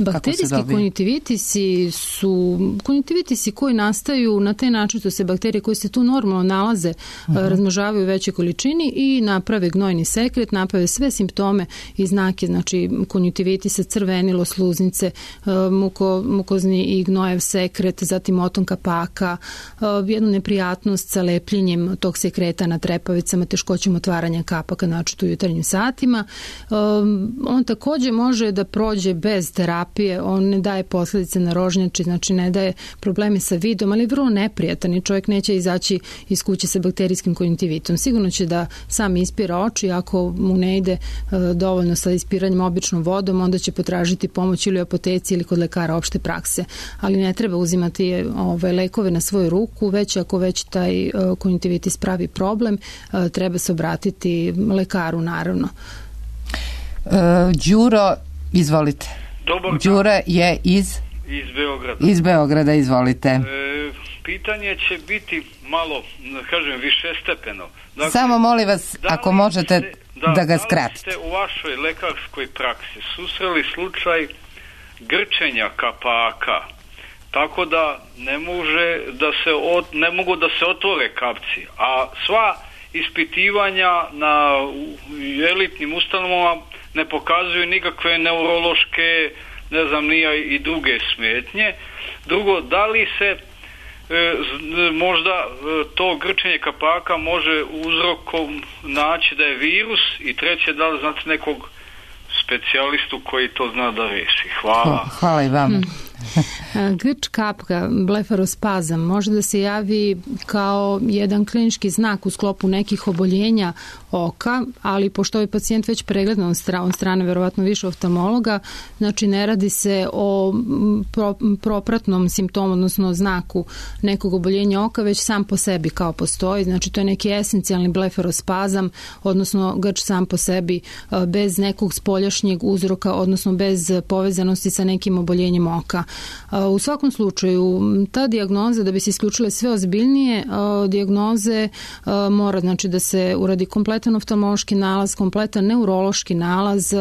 Bakterijski konjuntivitisi su konjuntivitisi koji nastaju na taj način što se bakterije koje se tu normalno nalaze uh-huh. razmnožavaju u većoj količini i naprave gnojni sekret, naprave sve simptome i znake, znači konjuntivitisa, crvenilo, sluznice, muko, mukozni i gnojev sekret, zatim oton kapaka, jednu neprijatnost sa lepljenjem tog sekreta na trepavicama, teškoćom otvaranja kapaka, znači u jutarnjim satima. On takođe može da prođe bez terapije, on ne daje posljedice na rožnjači, znači ne daje probleme sa vidom, ali je vrlo neprijatan i čovjek neće izaći iz kuće sa bakterijskim konjuntivitom. Sigurno će da sam ispira oči, ako mu ne ide dovoljno sa ispiranjem običnom vodom, onda će potražiti pomoć ili u apoteci ili kod lekara opšte prakse. Ali ne treba uzimati ove lekove na svoju ruku, već ako već taj konjuntivitis pravi problem, treba se obratiti lekaru, naravno. Uh, Đuro, izvolite. Dobar Đura je iz? Iz Beograda. Iz Beograda, izvolite. E, pitanje će biti malo, kažem, višestepeno. Dakle, samo molim vas, ako možete ste, da, da ga da skratite. Da li ste u vašoj lekarskoj praksi susreli slučaj grčenja kapaka, tako da ne može da se od, ne mogu da se otvore kapci, a sva ispitivanja na elitnim ustanovama ne pokazuju nikakve neurološke, ne znam, nija i druge smetnje. Drugo, da li se e, možda e, to grčenje kapaka može uzrokom naći da je virus, i treće, da li znate nekog specijalistu koji to zna da reši? Hvala. Hvala i vama. Grč kapka, blefarospazam, može da se javi kao jedan klinički znak u sklopu nekih oboljenja oka, ali pošto ovaj pacijent već pregledan od strane verovatno više oftalmologa, znači ne radi se o pro, propratnom simptomu, odnosno znaku nekog oboljenja oka, već sam po sebi kao postoji, znači to je neki esencijalni blefarospazam, odnosno grč sam po sebi bez nekog spoljašnjeg uzroka, odnosno bez povezanosti sa nekim oboljenjem oka. U svakom slučaju, ta dijagnoza, da bi se isključile sve ozbiljnije dijagnoze, mora znači da se uradi kompletan oftalmološki nalaz, kompletan neurološki nalaz.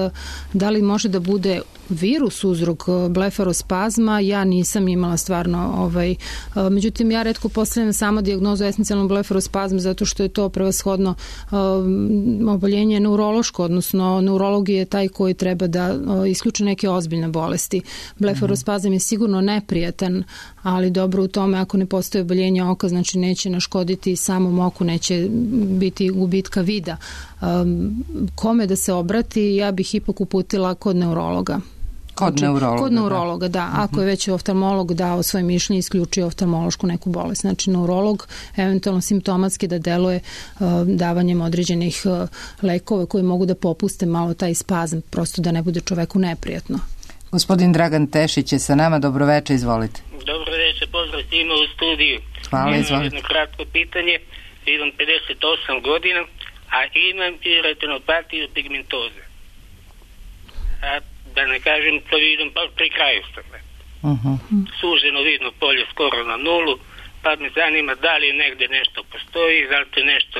Da li može da bude virus uzrok blefarospazma, ja nisam imala stvarno, ovaj, međutim ja retko postavljam samo dijagnozu esencijalnog blefarospazma zato što je to prevashodno um, oboljenje neurološko, odnosno neurolog je taj koji treba da uh, isključi neke ozbiljne bolesti. Blefarospazam je sigurno neprijatan, ali dobro u tome ako ne postoje oboljenje oka, znači neće naškoditi samom oku, neće biti gubitka vida. Um, kome da se obrati, ja bih ipak uputila kod neurologa. Kod znači, neurologa. Kod neurologa, da. da. Ako uh-huh. je već oftalmolog dao svoje mišljenje, isključio oftalmološku neku bolest. Znači, neurolog eventualno simptomatski da deluje uh, davanjem određenih uh, lekova koji mogu da popuste malo taj spazam, prosto da ne bude čoveku neprijatno. Gospodin Dragan Tešić je sa nama, dobroveče, izvolite. Dobro večer, pozdrav svima u studiju. Hvala, imam izvolite. Jedno kratko pitanje, imam pedeset osam godina, a imam i retinopatiju pigmentoze. A da ne kažem, to vidim pa pri kraju sam. Uh-huh. Suženo vidno polje skoro na nulu, pa me zanima da li negde nešto postoji, da li te nešto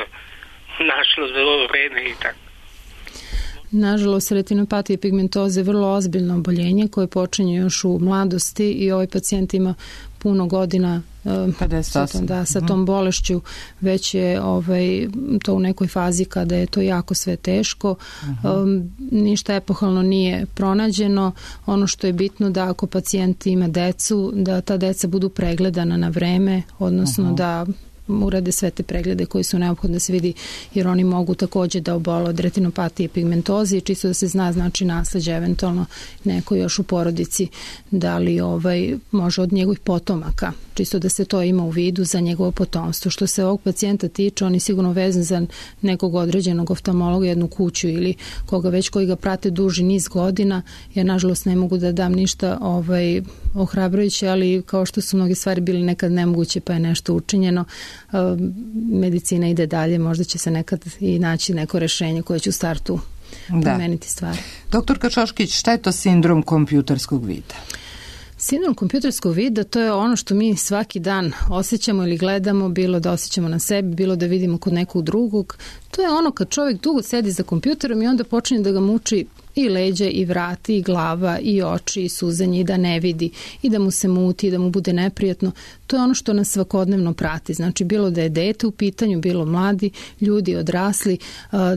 našlo za ovo vreme i tako. Nažalost, retinopatija pigmentoze je vrlo ozbiljno oboljenje koje počinje još u mladosti i ovaj pacijent ima puno godina pedeset osam da, sa tom bolešću, već je ovaj, to u nekoj fazi kada je to jako sve teško. Uh-huh. Um, ništa epohalno nije pronađeno. Ono što je bitno da ako pacijent ima decu, da ta deca budu pregledana na vreme, odnosno uh-huh. da urade sve te preglede koji su neophodni da se vidi, jer oni mogu takođe da obole od retinopatije pigmentoze i čisto da se zna znači nasleđe eventualno neko još u porodici, da li ovaj, može od njegovih potomaka, čisto da se to ima u vidu za njegovo potomstvo. Što se ovog pacijenta tiče, on je sigurno vezan za nekog određenog oftalmologa, jednu kuću ili koga već koji ga prate duži niz godina. Ja nažalost ne mogu da dam ništa ovaj, ohrabrujuće, ali kao što su mnoge stvari bili nekad nemoguće pa je nešto učinjeno. medicina ide dalje, možda će se nekad i naći neko rešenje koje će u startu promeniti stvari. Doktorka Šoškić, šta je to sindrom kompjuterskog vida? Sindrom kompjuterskog vida, to je ono što mi svaki dan osjećamo ili gledamo, bilo da osjećamo na sebi, bilo da vidimo kod nekog drugog. To je ono kad čovjek dugo sedi za kompjuterom i onda počinje da ga muči i leđa, i vrati, i glava, i oči, i suzanje, i da ne vidi, i da mu se muti, i da mu bude neprijatno. To je ono što nas svakodnevno prati. Znači, bilo da je dete u pitanju, bilo mladi, ljudi, odrasli.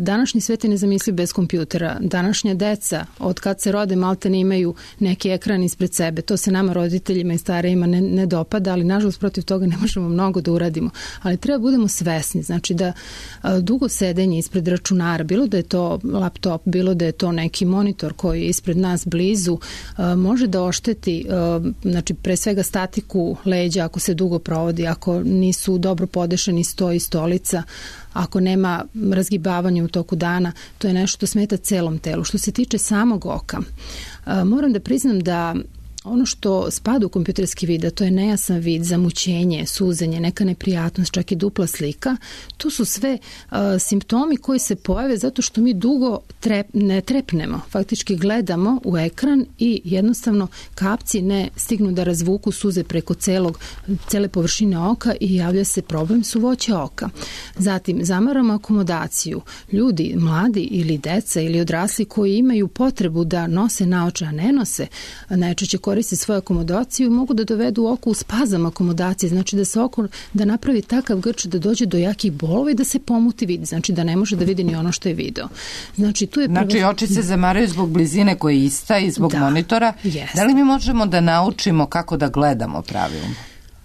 Današnji svet je nezamisliv bez kompjutera. Današnja deca, od kad se rode, malte ne imaju neki ekran ispred sebe. To se nama, roditeljima i starijima, ne, ne dopada, ali nažalost protiv toga ne možemo mnogo da uradimo. Ali treba budemo svesni. Znači, da dugo sedenje ispred računara, bilo da je to laptop, bilo da je to neki monitor koji je ispred nas blizu, može da ošteti, znači, pre svega statiku leđa ako se dugo provodi, ako nisu dobro podešeni sto i stolica, ako nema razgibavanja u toku dana, to je nešto što smeta celom telu. Što se tiče samog oka, moram da priznam da ono što spada u kompjuterski vid, a to je nejasan vid, zamućenje, suzenje, neka neprijatnost, čak i dupla slika, to su sve uh, simptomi koji se pojave zato što mi dugo trep, ne trepnemo. Faktički gledamo u ekran i jednostavno kapci ne stignu da razvuku suze preko celog, cele površine oka i javlja se problem suvoće oka. Zatim, zamaramo akomodaciju. Ljudi, mladi ili deca ili odrasli koji imaju potrebu da nose naoče, a ne nose, najčešće koriste svoju akomodaciju, mogu da dovedu oko u spazam akomodacije, znači da se oko, da napravi takav grč da dođe do jakih bolova i da se pomuti vid, znači da ne može da vidi ni ono što je video. Znači, tu je prvo... znači oči se zamaraju zbog blizine koja je ista i zbog da, monitora. Jest. Da li mi možemo da naučimo kako da gledamo pravilno?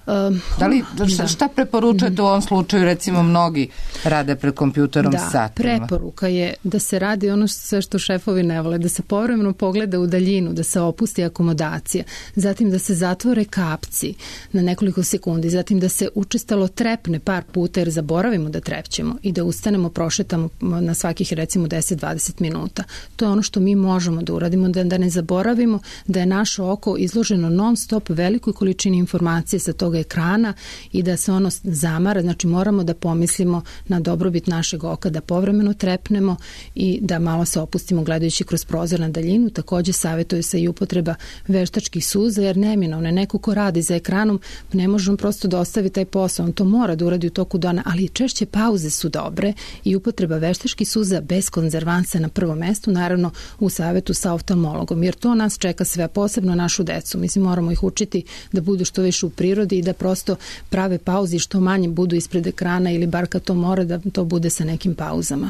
Um, da li, šta, šta preporučujete u ovom slučaju, recimo mnogi rade pred kompjuterom da, satima? Da, preporuka je da se radi ono što, sve što šefovi ne vole, da se povremeno pogleda u daljinu, da se opusti akomodacija, zatim da se zatvore kapci na nekoliko sekundi, zatim da se učestalo trepne par puta jer zaboravimo da trepćemo i da ustanemo, prošetamo na svakih recimo deset do dvadeset minuta. To je ono što mi možemo da uradimo, da, da ne zaboravimo da je naše oko izloženo non stop velikoj količini informacije sa toga ekrana i da se ono zamara, znači moramo da pomislimo na dobrobit našeg oka, da povremeno trepnemo i da malo se opustimo gledajući kroz prozor na daljinu. Takođe savjetuje se i upotreba veštačkih suza, jer neminovno je neko ko radi za ekranom, ne možemo prosto da ostavi taj posao, on to mora da uradi u toku dana, ali češće pauze su dobre i upotreba veštačkih suza bez konzervansa na prvom mestu, naravno u savjetu sa oftalmologom, jer to nas čeka sve, posebno našu decu. Mislim, moramo ih učiti da budu što više u prirodi i da prosto prave pauze i što manje budu ispred ekrana ili bar kad to mora da to bude sa nekim pauzama.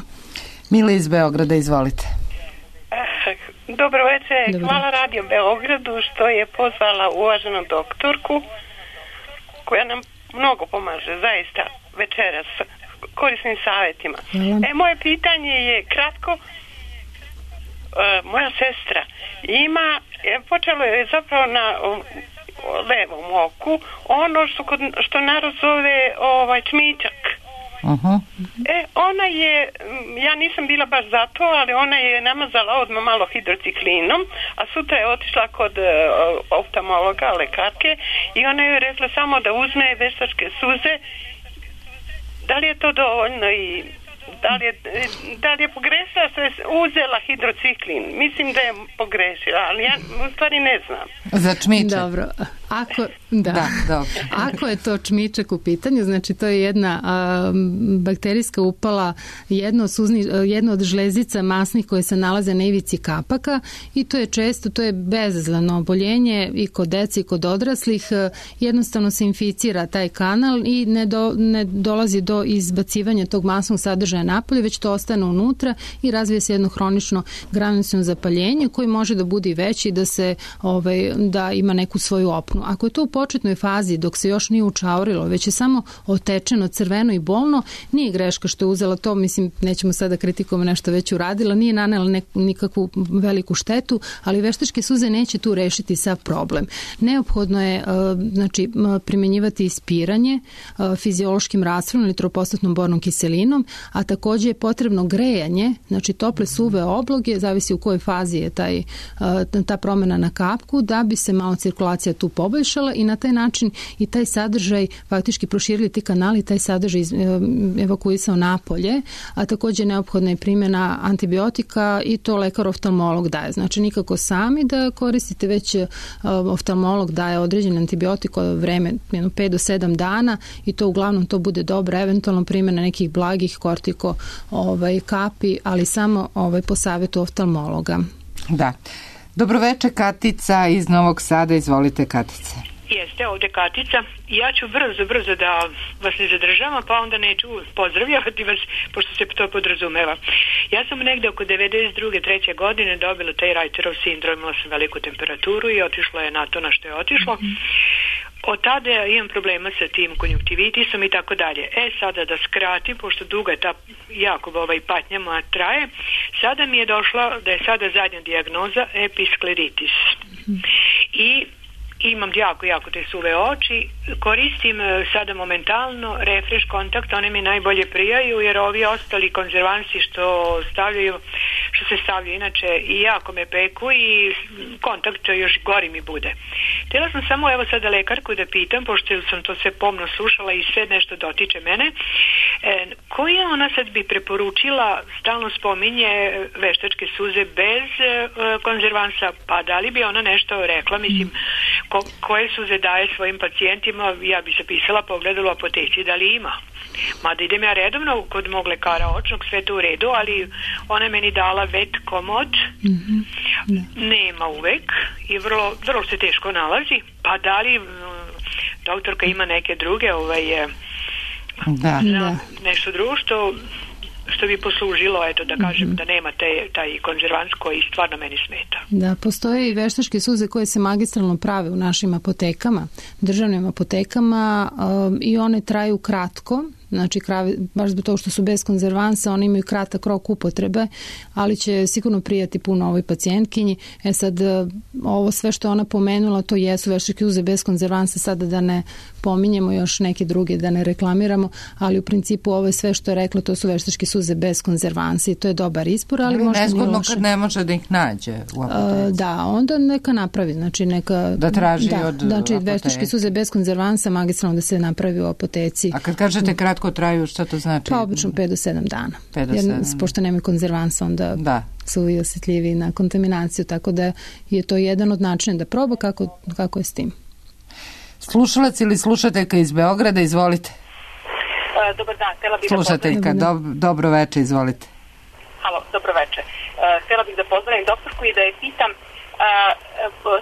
Mila iz Beograda, izvolite. Dobro večer, Dobro. Hvala Radio Beogradu što je pozvala uvaženu doktorku koja nam mnogo pomaže, zaista večeras korisnim savjetima. Hvala. E, moje pitanje je kratko. E, moja sestra ima, počelo je zapravo na levom oku ono što, što narod zove ovaj čmičak. Uh-huh. E, ona je, ja nisam bila baš za to, ali ona je namazala odmah malo hidrociklinom, a sutra je otišla kod uh, oftalmologa, lekarke, i ona je rekla samo da uzme veštačke suze. Da li je to dovoljno i da li je, da li je pogrešila što je uzela hidrociklin? Mislim da je pogrešila, ali ja u stvari ne znam. Za čmičak. Dobro. Ako, da. Da, dobro. Ako je to čmičak u pitanju, znači to je jedna a, bakterijska upala, jedno, suzni, jedno od žlezica masnih koje se nalaze na ivici kapaka i to je često, to je bezazleno oboljenje i kod dece i kod odraslih. Jednostavno se inficira taj kanal i ne, do, ne dolazi do izbacivanja tog masnog sadržaja napolje, već to ostane unutra i razvije se jedno hronično granično zapaljenje koji može da bude i veći, da se ovaj, da ima neku svoju opnu. Ako je to u početnoj fazi dok se još nije učaurilo, već je samo otečeno, crveno i bolno, nije greška što je uzela to, mislim, nećemo sada kritikujemo nešto već uradila, nije nanela neku, nikakvu veliku štetu, ali veštačke suze neće tu rešiti sav problem. Neophodno je znači primenjivati ispiranje fiziološkim rastvorom ili tropostatnom bornom kiselinom, a takođe je potrebno grejanje, znači tople suve obloge, zavisi u kojoj fazi je taj, ta promena na kapku, da bi se malo cirkulacija tu poboljšala i na taj način i taj sadržaj faktički proširili ti kanali, taj sadržaj evakuisao napolje, a također neophodna je primjena antibiotika i to lekar oftalmolog daje. Znači nikako sami da koristite, već oftalmolog daje određen antibiotik od vreme pet do sedam dana i to uglavnom to bude dobro, eventualno primjena nekih blagih kortiko ovaj, kapi, ali samo ovaj, po savjetu oftalmologa. Da. Dobroveče, Katica iz Novog Sada, izvolite, Katice. Jeste, ovdje Katica. Ja ću brzo, brzo da vas ne zadržavam, pa onda neću pozdravljavati vas, pošto se to podrazumeva. Ja sam negde oko devedeset druge treće godine dobila taj Reiterov sindrom, imala sam veliku temperaturu i otišlo je na to na što je otišlo. Od tada imam problema sa tim konjunktivitisom i tako dalje. E, sada da skratim, pošto duga je ta jako ovaj patnja moja traje, sada mi je došla da je sada zadnja dijagnoza episkleritis. I imam jako, jako te suve oči, koristim sada momentalno refresh kontakt, one mi najbolje prijaju, jer ovi ostali konzervansi što stavljaju, što se stavljaju inače i jako me peku i kontakt još gori mi bude. Htjela sam samo evo sada lekarku da pitam, pošto sam to sve pomno slušala i sve nešto dotiče mene, e, koje ona sad bi preporučila, stalno spominje veštačke suze bez e, konzervansa, pa da li bi ona nešto rekla, mislim, ko, koje suze daje svojim pacijentima, ja bi zapisala, pogledala u apoteci da li ima. Mada idem ja redovno kod mog lekara očnog, sve to u redu, ali ona je meni dala vet komod, mm-hmm. nema uvek i vrlo, vrlo se teško nalazi, pa da li doktorka ima neke druge ovaj, da. Na, nešto drugo što što bi poslužilo, eto, da kažem, mm-hmm. da nema te, taj konzervans koji stvarno meni smeta. Da, postoje i veštačke suze koje se magistralno prave u našim apotekama, državnim apotekama um, i one traju kratko, znači krave, baš zbog toga što su bez konzervansa, oni imaju kratak rok upotrebe, ali će sigurno prijati puno ovoj pacijentkinji. E sad, ovo sve što ona pomenula, to jesu veštačke suze bez konzervansa, sada da ne pominjemo još neke druge, da ne reklamiramo, ali u principu ovo je sve što je rekla, to su veštačke suze bez konzervansa i to je dobar izbor, ali možda nije loše. Nezgodno kad ne može da ih nađe u apoteci. Da, onda neka napravi, znači neka... Da traži da, od znači, apoteci. Veštačke suze bez konzervansa magistralno da se napravi u apoteci. A kad kažete kratko traju, šta to znači? Pa obično pet do sedam dana. pet do sedam. Jer pošto nemaju konzervansa, onda da. su i osjetljivi na kontaminaciju, tako da je to jedan od načina da proba kako, kako je s tim. Slušalac ili slušateljka iz Beograda, izvolite. Uh, dobar dan, htjela bih Slušateljka, da dob, dobro veče, izvolite. Halo, dobro veče. Uh, htjela bih da pozdravim doktorku i da je pitam, uh,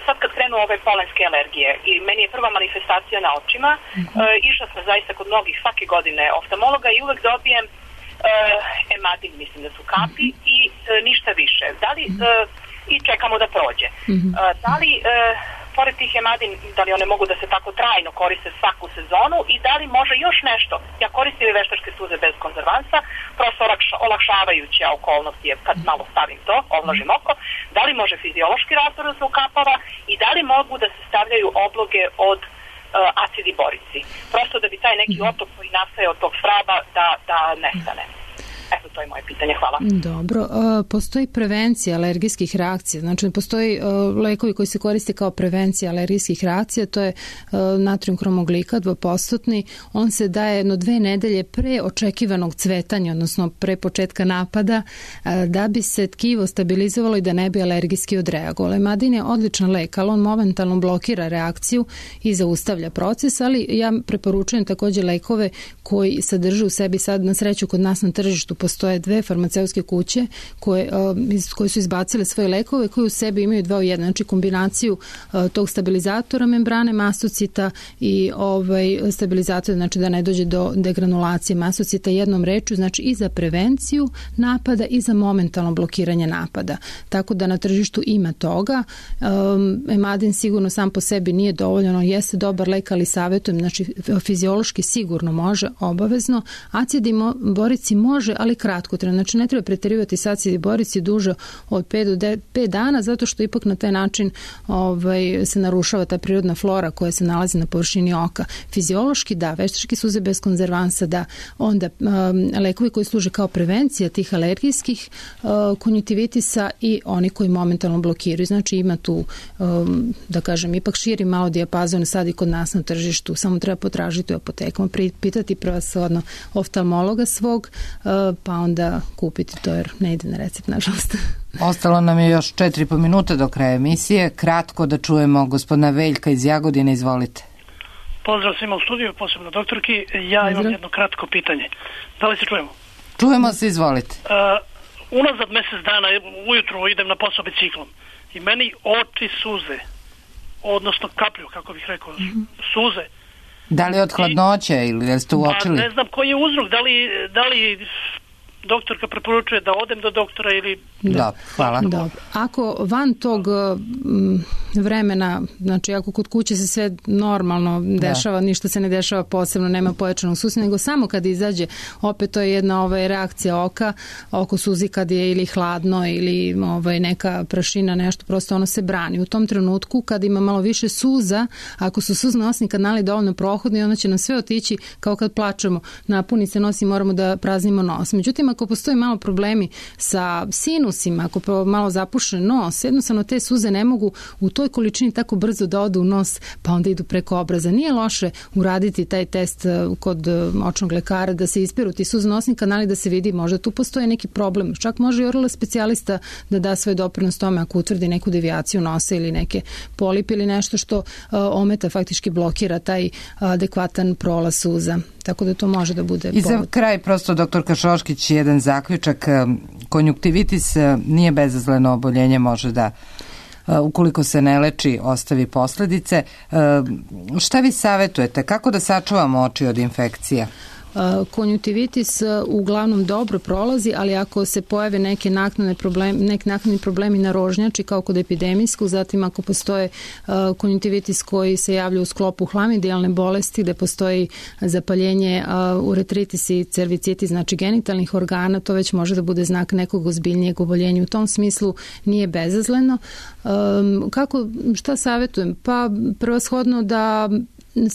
sad kad krenu ove polenske alergije i meni je prva manifestacija na očima, uh, išla sam zaista kod mnogih svake godine oftalmologa i uvek dobijem uh, emadin, mislim da su kapi i uh, ništa više. Da li, uh, i čekamo da prođe. Uh, da li... Uh, pored tih emadin, da li one mogu da se tako trajno koriste svaku sezonu i da li može još nešto, ja koristim i veštačke suze bez konzervansa, prosto olakšavajuća okolnost je kad malo stavim to, ovlažim oko, da li može fiziološki razvor da se ukapava i da li mogu da se stavljaju obloge od uh, acidi borici. Prosto da bi taj neki otok koji nastaje od tog svraba da, da nestane. Eto, to je moje pitanje, hvala. Dobro, postoji prevencija alergijskih reakcija, znači postoji lekovi koji se koriste kao prevencija alergijskih reakcija, to je natrium kromoglika dvopostotni, on se daje jedno dve nedelje pre očekivanog cvetanja, odnosno pre početka napada, da bi se tkivo stabilizovalo i da ne bi alergijski odreagovalo. Emadin je odličan lek, ali on momentalno blokira reakciju i zaustavlja proces, ali ja preporučujem također lekove koji sadrže u sebi, sad na sreću kod nas na tržištu postoje dve farmaceutske kuće koje, koje su izbacile svoje lekove koji u sebi imaju dva u jedan, znači kombinaciju tog stabilizatora membrane mastocita i ovaj stabilizator, znači da ne dođe do degranulacije mastocita, jednom rečju, znači i za prevenciju napada i za momentalno blokiranje napada. Tako da na tržištu ima toga. Emadin sigurno sam po sebi nije dovoljno, jeste dobar lek, ali savjetujem, znači fiziološki sigurno može, obavezno. Acidi borici može, ali kratko kratkotrajno. Znači ne treba preterivati sacid i borici duže od pet do pet dana, zato što ipak na taj način ovaj, se narušava ta prirodna flora koja se nalazi na površini oka. Fiziološki da, veštačke suze bez konzervansa da, onda um, lekovi koji služe kao prevencija tih alergijskih uh, konjuntivitisa i oni koji momentalno blokiraju. Znači ima tu, um, da kažem, ipak širi malo dijapazon sad i kod nas na tržištu, samo treba potražiti u apotekama, pitati prvenstveno oftalmologa svog, uh, pa onda kupiti to jer ne ide na recept, nažalost. Ostalo nam je još četiri i po minuta do kraja emisije. Kratko da čujemo gospodina Veljka iz Jagodine, izvolite. Pozdrav svima u studiju, posebno doktorki. Ja Pozdrav. imam jedno kratko pitanje. Da li se čujemo? Čujemo se, izvolite. Uh, unazad mjesec dana ujutru idem na posao biciklom i meni oči suze, odnosno kaplju, kako bih rekao, mm-hmm. suze. Da li od hladnoće I, ili ste uočili? Pa ne znam koji je uzrok, da li, da li doktorka preporučuje da odem do doktora ili... Da, hvala. Dobro. Ako van tog m, vremena, znači ako kod kuće se sve normalno dešava, da. ništa se ne dešava posebno, nema pojačanog suza, nego samo kad izađe, opet to je jedna ovaj, reakcija oka, oko suzi kad je ili hladno ili ovaj, neka prašina, nešto, prosto ono se brani. U tom trenutku kad ima malo više suza, ako su suznosni kanali dovoljno prohodni, onda će nam sve otići kao kad plačemo, napuni se nos i moramo da praznimo nos. Međutim, ako postoji malo problemi sa sinusima, ako malo zapušen nos, jednostavno te suze ne mogu u toj količini tako brzo da odu u nos, pa onda idu preko obraza. Nije loše uraditi taj test kod očnog lekara da se ispiru ti suznosni kanali, da se vidi možda tu postoji neki problem. Čak može i orala specijalista da da svoj doprinos tome ako utvrdi neku devijaciju nosa ili neke polip ili nešto što ometa, faktički blokira taj adekvatan prolaz suza. Tako da to može da bude povod. I za kraj prosto doktorka Šoškić jedan zaključak. Konjuktivitis nije bezazleno oboljenje, može da ukoliko se ne leči ostavi posledice. Šta vi savjetujete? Kako da sačuvamo oči od infekcija? Konjuntivitis uglavnom dobro prolazi, ali ako se pojave neke naknadne problemi, neki naknadni problemi na rožnjači kao kod epidemijskog, zatim ako postoje konjuntivitis koji se javlja u sklopu hlamidijalne bolesti, gde postoji zapaljenje uretritis i cervicitis, znači genitalnih organa, to već može da bude znak nekog ozbiljnijeg oboljenja. U tom smislu nije bezazleno. Kako, šta savjetujem? Pa prevashodno da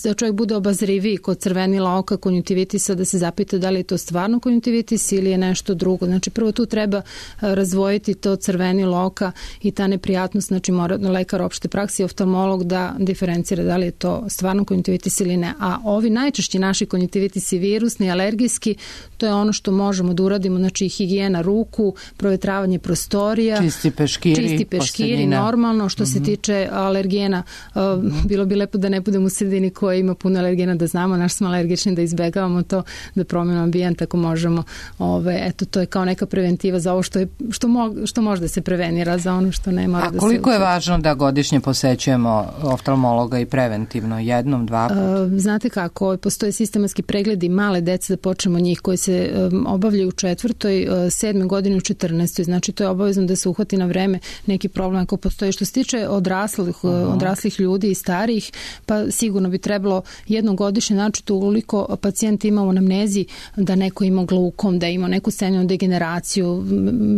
da čovjek bude obazriviji kod crvenila oka, konjuntivitisa, da se zapita da li je to stvarno konjuntivitis ili je nešto drugo. Znači prvo tu treba razvojiti to crvenilo oka i ta neprijatnost, znači mora lekar opšte prakse i oftalmolog da diferencira da li je to stvarno konjuntivitis ili ne. A ovi najčešći naši konjuntivitisi virusni, alergijski, to je ono što možemo da uradimo, znači higijena ruku, provetravanje prostorija, čisti peškiri, čisti peškiri normalno. Što mm-hmm. se tiče alergena, uh, bilo bi lepo da ne budemo u sredini koja ima puno alergena, da znamo naš smo alergični, da izbegavamo to, da promenimo ambijent ako možemo. Ove, eto, to je kao neka preventiva za ovo što, je, što, mo, što može da se prevenira, za ono što ne mora da se... A koliko je važno da godišnje posećujemo oftalmologa i preventivno? Jednom, dva puta? Uh, znate kako, postoje sistematski pregledi male dece, da počnemo njih, koji se um, obavljaju u četvrtoj, uh, sedme godine, u četrnaestoj. Znači, to je obavezno da se uhvati na vreme neki problem ako postoji. Što se tiče odraslih, uh-huh. odraslih ljudi i starih, pa sigurno bi trebalo jednom godišnje, znači ukoliko pacijent ima u anamnezi da neko ima glaukom, da ima neku senilnu degeneraciju,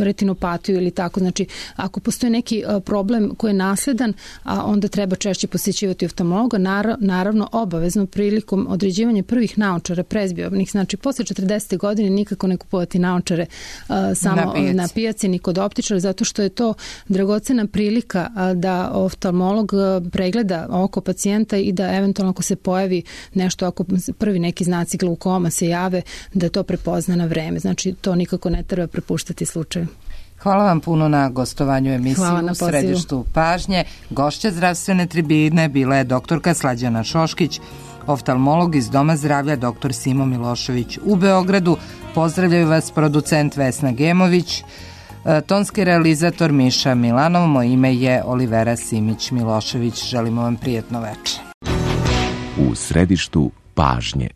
retinopatiju ili tako, znači ako postoji neki problem koji je nasledan, a onda treba češće posjećivati oftalmologa, naravno obavezno prilikom određivanja prvih naočara prezbiobnih, znači posle četrdesete godine nikako ne kupovati naočare a, samo na pijaci. na pijaci ni kod optičara, zato što je to dragocena prilika a, da oftalmolog pregleda oko pacijenta i da eventualno ako se pojavi nešto, ako prvi neki znaci glaukoma se jave, da to prepozna na vreme. Znači, to nikako ne treba prepuštati slučaju. Hvala vam puno na gostovanju emisiji u središtu pažnje. Gošća zdravstvene tribine bila je doktorka Slađana Šoškić, oftalmolog iz Doma zdravlja doktor Simo Milošević u Beogradu. Pozdravljaju vas producent Vesna Gemović, tonski realizator Miša Milanov, moje ime je Olivera Simić-Milošević. Želimo vam prijatno večer. U središtu pažnje.